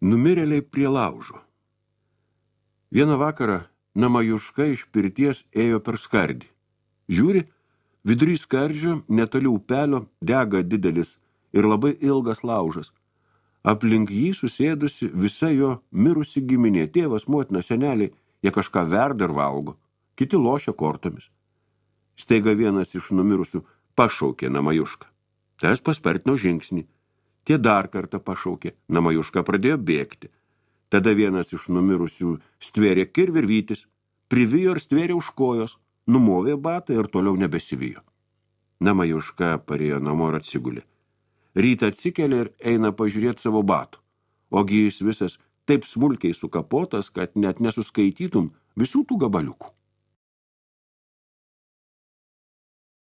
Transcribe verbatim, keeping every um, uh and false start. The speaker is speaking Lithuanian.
Numirėliai prie laužo. Vieną vakarą Namajuška iš pirties ėjo per skardį. Žiūri, vidury skardžio, netoli upelio, dega didelis ir labai ilgas laužas. Aplink jį susėdusi visa jo mirusi giminė, tėvas, motina, seneliai, jie kažką verda ir valgo, kiti lošia kortomis. Staiga vienas iš numirusių pašaukė Namajušką. Tas paspartino žingsnį. Tie dar kartą pašaukė. Namajuška pradėjo bėgti. Tada vienas iš numirusių stvėrė kirvirvytis, privijo ir stvėrė už kojos, numovė batą ir toliau nebesivijo. Namajuška parėjo namo ir atsigulė. Rytą atsikelia ir eina pažiūrėti savo batų. Ogi jis visas taip smulkiai sukapotas, kad net nesuskaitytum visų tų gabaliukų.